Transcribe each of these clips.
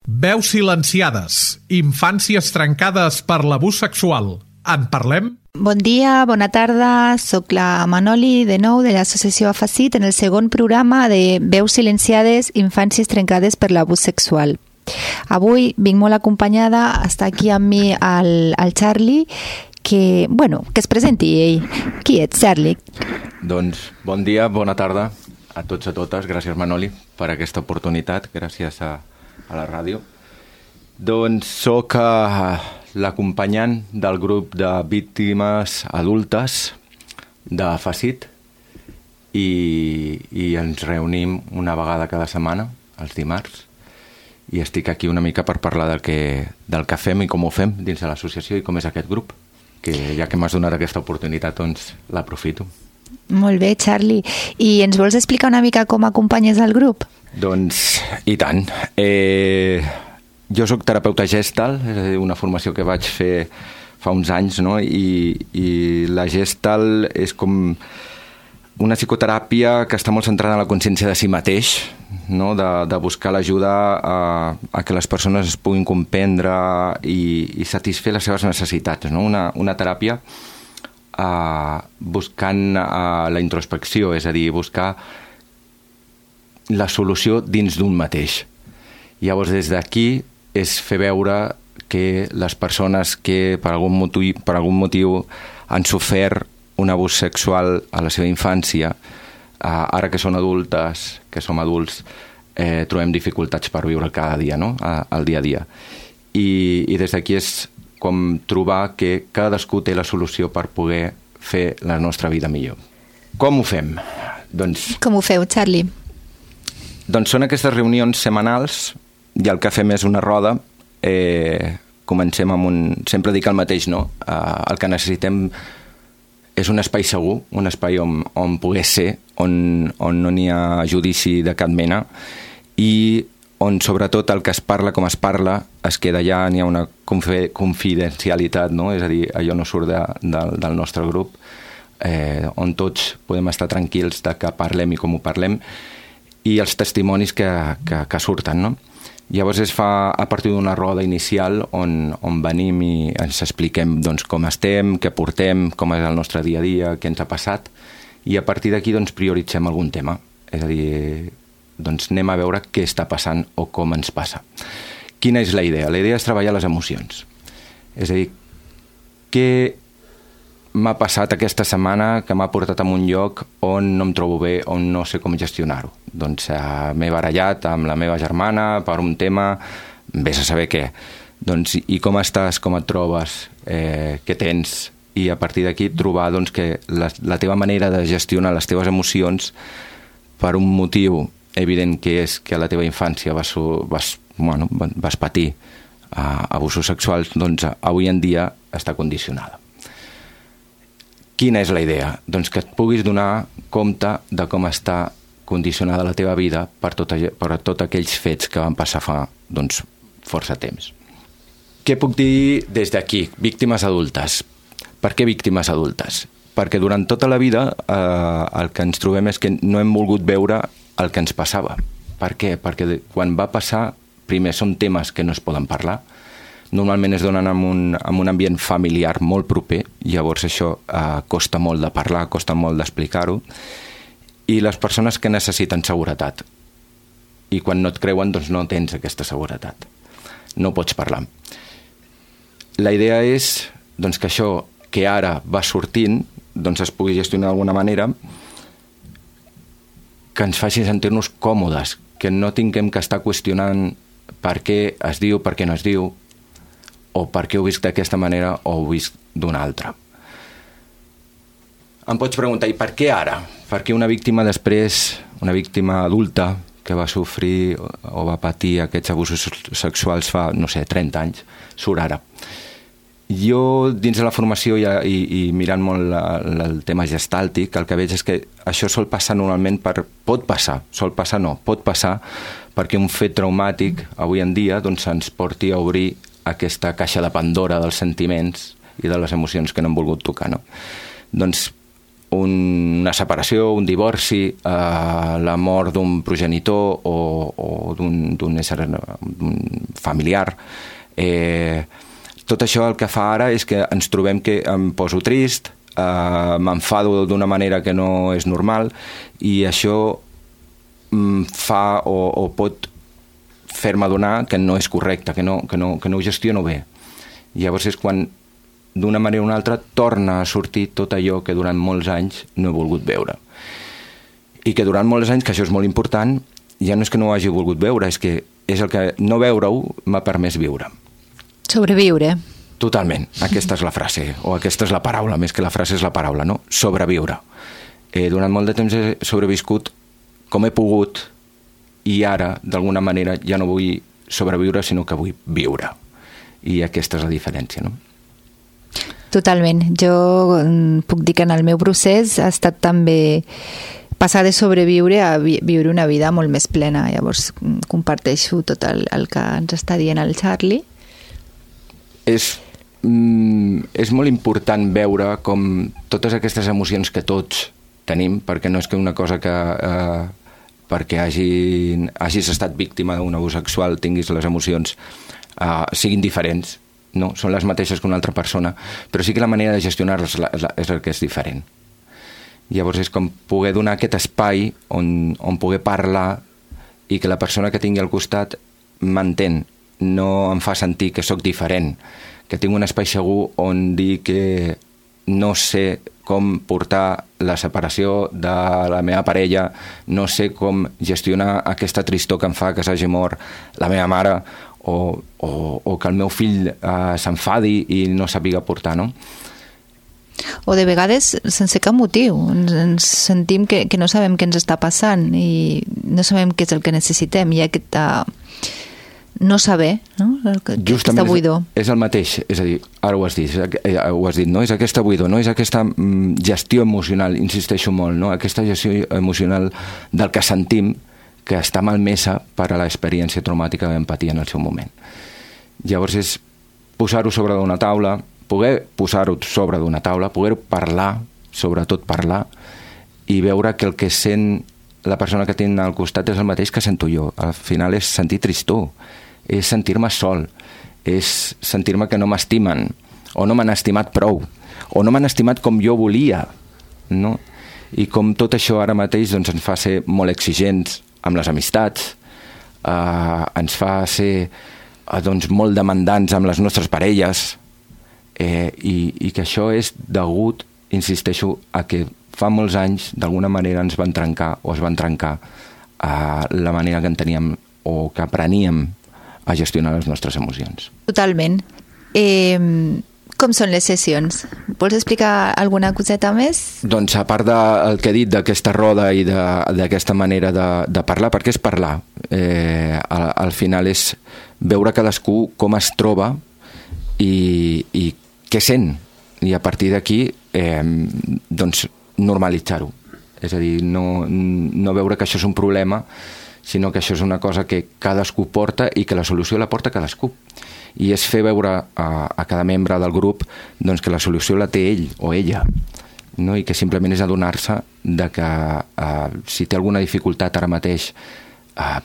Veus silenciades, infàncies trencades per l'abús sexual. En parlem? Bon dia, bona tarda, soc la Manoli de nou de l'associació AFACIT en el segon programa de Veus silenciades, infàncies trencades per l'abús sexual. Avui vinc molt acompanyada, està aquí amb mi el Charlie, que es presenti ell. Qui ets, Charlie? Doncs bon dia, bona tarda a tots i a totes. Gràcies, Manoli, per aquesta oportunitat. Gràcies a la ràdio. Doncs soc l'acompanyant del grup de víctimes adultes de FACIT i ens reunim una vegada cada setmana, els dimarts, i estic aquí una mica per parlar del que fem i com ho fem dins de l'associació i com és aquest grup, que ja que m'has donat aquesta oportunitat, doncs l'aprofito. Molt bé, Charlie. I ens vols explicar una mica com acompanyes el grup? Doncs, i tant. Jo soc terapeuta Gestalt, és a dir, una formació que vaig fer fa uns anys, no? I la Gestalt és com una psicoteràpia que està molt centrada en la consciència de si mateix, no? De buscar l'ajuda a que les persones es puguin comprendre i satisfer les seves necessitats, no? Una teràpia buscant la introspecció, és a dir, buscar la solució dins d'un mateix. Llavors, des d'aquí és fer veure que les persones que per algun motiu han sofert un abús sexual a la seva infància, ara que són adultes, que som adults, trobem dificultats per viure cada dia, no? El dia a dia. I des d'aquí és com trobar que cadascú té la solució per poder fer la nostra vida millor. Com ho fem? Com ho feu, Charlie? Doncs són aquestes reunions setmanals i el que fem és una roda. Comencem amb sempre dic el mateix, no? El que necessitem és un espai segur, un espai on poder ser, on no n'hi ha judici de cap mena i on sobretot el que es parla com es parla es queda allà, n'hi ha una confidencialitat, no? És a dir, allò no surt del nostre grup, on tots podem estar tranquils de que parlem i com ho parlem i els testimonis que surten, no? Llavors es fa a partir d'una roda inicial on venim i ens expliquem doncs, com estem, què portem, com és el nostre dia a dia, què ens ha passat, i a partir d'aquí doncs, prioritzem algun tema. És a dir, doncs, anem a veure què està passant o com ens passa. Quina és la idea? La idea és treballar les emocions. És a dir, què m'ha passat aquesta setmana que m'ha portat a un lloc on no em trobo bé, on no sé com gestionar-ho. Doncs m'he barallat amb la meva germana per un tema, vés a saber què. Doncs, i com estàs, com et trobes, què tens? I a partir d'aquí trobar doncs, que la teva manera de gestionar les teves emocions per un motiu evident que és que a la teva infància vas patir abusos sexuals, doncs avui en dia està condicionada. Quina és la idea? Doncs que et puguis donar compte de com està condicionada la teva vida per tots aquells fets que van passar fa força temps. Què puc dir des d'aquí? Víctimes adultes. Per què víctimes adultes? Perquè durant tota la vida el que ens trobem és que no hem volgut veure el que ens passava. Per què? Perquè quan va passar, primer són temes que no es poden parlar, normalment es donen en un ambient familiar molt proper, llavors això costa molt de parlar, costa molt d'explicar-ho, i les persones que necessiten seguretat. I quan no et creuen, doncs no tens aquesta seguretat. No pots parlar. La idea és doncs, que això que ara va sortint doncs es pugui gestionar d'alguna manera, que ens faci sentir-nos còmodes, que no tinguem que estar qüestionant per què es diu, per què no es diu, o per què ho visc d'aquesta manera o ho visc d'una altra. Em pots preguntar, i per què ara? Per què una víctima després, una víctima adulta que va sofrir o va patir aquests abusos sexuals fa, 30 anys, surt ara? Jo, dins de la formació i mirant molt el tema gestàltic, el que veig és que això sol passar normalment pot passar perquè un fet traumàtic avui en dia ens porti a obrir aquesta caixa de Pandora dels sentiments i de les emocions que no hem volgut tocar, no? Doncs una separació, un divorci, la mort d'un progenitor o d'un familiar. Tot això el que fa ara és que ens trobem que em poso trist, m'enfado d'una manera que no és normal, i això fa o pot fer-me adonar que no és correcte, que no ho gestiono bé. Llavors és quan d'una manera o una altra torna a sortir tot allò que durant molts anys no he volgut veure. I que durant molts anys, que això és molt important, ja no és que no ho hagi volgut veure, és que és el que no veure-ho m'ha permès viure. Sobreviure. Totalment. Aquesta és la frase, o aquesta és la paraula, més que la frase és la paraula, no? Sobreviure. Durant molt de temps he sobreviscut com he pogut, i ara, d'alguna manera, ja no vull sobreviure, sinó que vull viure. I aquesta és la diferència, no? Totalment. Jo puc dir que en el meu procés ha estat també passar de sobreviure a viure una vida molt més plena. Llavors comparteixo tot el que ens està dient el Charlie. És molt important veure com totes aquestes emocions que tots tenim, perquè no és que una cosa que perquè hagis estat víctima d'un abús sexual tinguis les emocions siguin diferents, no, són les mateixes que una altra persona, però sí que la manera de gestionar-les és el que és diferent. Llavors és com poder donar aquest espai on poder parlar i que la persona que tingui al costat m'entén, no em fa sentir que sóc diferent, que tinc un espai segur on dir que no sé com portar la separació de la meva parella, no sé com gestionar aquesta tristor que em fa que s'hagi mort la meva mare, o que el meu fill s'enfadi i no sàpiga portar, no? O de vegades sense cap motiu. Ens sentim que no sabem què ens està passant i no sabem què és el que necessitem. Hi ha aquest no saber, no? Aquesta buidor. És el mateix, és a dir, ara ho has dit, no? És aquesta buidor, no? És aquesta gestió emocional, insisteixo molt, no? Aquesta gestió emocional del que sentim, que està malmesa per a l'experiència traumàtica que vam patir en el seu moment. Llavors és posar-ho sobre d'una taula, poder posar-ho sobre d'una taula, poder parlar, sobretot parlar, i veure que el que sent la persona que tinc al costat és el mateix que sento jo. Al final és sentir tristor, és sentir-me sol, és sentir-me que no m'estimen, o no m'han estimat prou, o no m'han estimat com jo volia, no? I com tot això ara mateix doncs, ens fa ser molt exigents amb les amistats, ens fa ser doncs, molt demandants amb les nostres parelles, i que això és degut, insisteixo, a que fa molts anys d'alguna manera ens van trencar o es van trencar la manera que en teníem o que apreníem a gestionar les nostres emocions. Totalment. Com són les sessions? Vols explicar alguna coseta més? Doncs a part del que he dit d'aquesta roda i d'aquesta manera de parlar, perquè és parlar. Al final és veure cadascú com es troba i què sent. I a partir d'aquí doncs normalitzar-ho. És a dir, no veure que això és un problema, sinó que això és una cosa que cadascú porta i que la solució la porta cadascú. I és fer veure a cada membre del grup doncs, que la solució la té ell o ella, no? I que simplement és adonar-se de que si té alguna dificultat ara mateix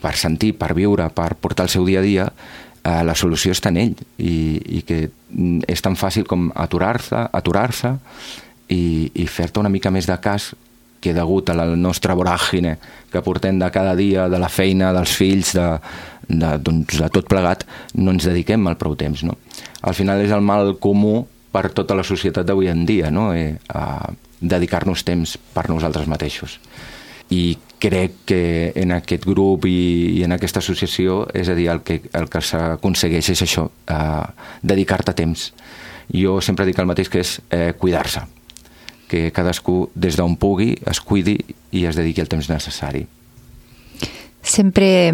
per sentir, per viure, per portar el seu dia a dia, la solució està en ell i que és tan fàcil com aturar-se i fer-te una mica més de cas que degut a la nostra voràgine que portem de cada dia, de la feina, dels fills, de tot plegat, no ens dediquem al prou temps, no? Al final és el mal comú per tota la societat d'avui en dia, no? Dedicar-nos temps per nosaltres mateixos. I crec que en aquest grup i en aquesta associació, és a dir, el que s'aconsegueix és això, dedicar-te temps. Jo sempre dic el mateix, que és cuidar-se, que cadascú des d'on pugui es cuidi i es dediqui el temps necessari. Sempre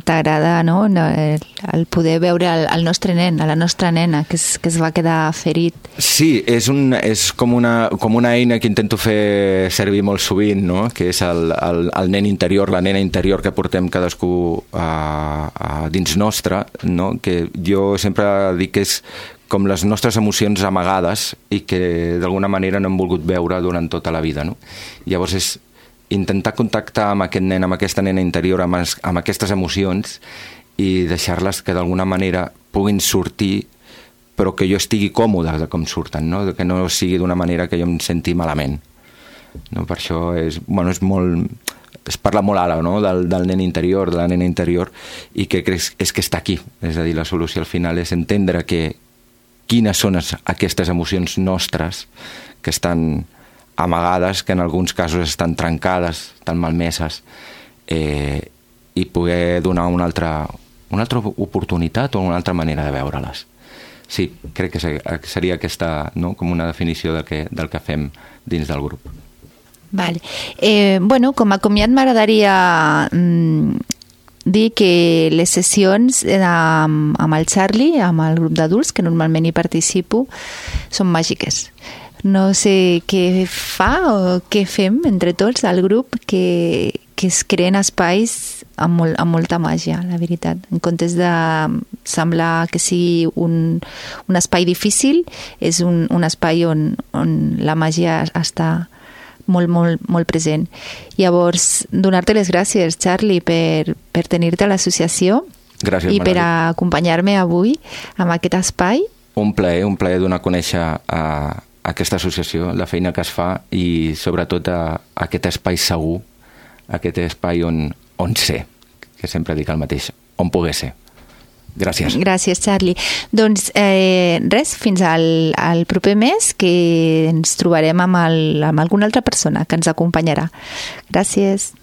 t'agrada, no?, el poder veure el nostre nen, a la nostra nena, que es va quedar ferit. Sí, és com una eina que intento fer servir molt sovint, no?, que és el nen interior, la nena interior que portem cadascú dins nostre, no?, que jo sempre dic que és com les nostres emocions amagades i que d'alguna manera no hem volgut veure durant tota la vida, no? Llavors és intentar contactar amb aquest nen, amb aquesta nena interior, amb aquestes emocions i deixar-les que d'alguna manera puguin sortir, però que jo estigui còmode de com surten, no? Que no sigui d'una manera que jo em senti malament. No? Per això és molt... Es parla molt ara, no? del nen interior, de la nena interior, i que és que està aquí. És a dir, la solució al final és entendre quines són aquestes emocions nostres que estan amagades, que en alguns casos estan trencades, estan malmeses, i poder donar una altra oportunitat o una altra manera de veure-les. Sí, crec que seria aquesta, no? Com una definició del que fem dins del grup. Vale. Com a comiat m'agradaria dir que les sessions amb el Charlie, amb el grup d'adults, que normalment hi participo, són màgiques. No sé què fa o què fem entre tots al grup, que es creen espais amb molta màgia, la veritat. En comptes de semblar que sigui un espai difícil, és un espai on la màgia està molt, molt, molt present. Llavors, donar-te les gràcies, Charlie, per tenir-te a l'associació. Gràcies, i per acompanyar-me avui en aquest espai. Un plaer donar a conèixer a aquesta associació, la feina que es fa i sobretot aquest espai segur, aquest espai on ser, que sempre dic el mateix, on poder ser. Gràcies. Gràcies, Charlie. Doncs res, fins al proper mes, que ens trobarem amb alguna altra persona que ens acompanyarà. Gràcies.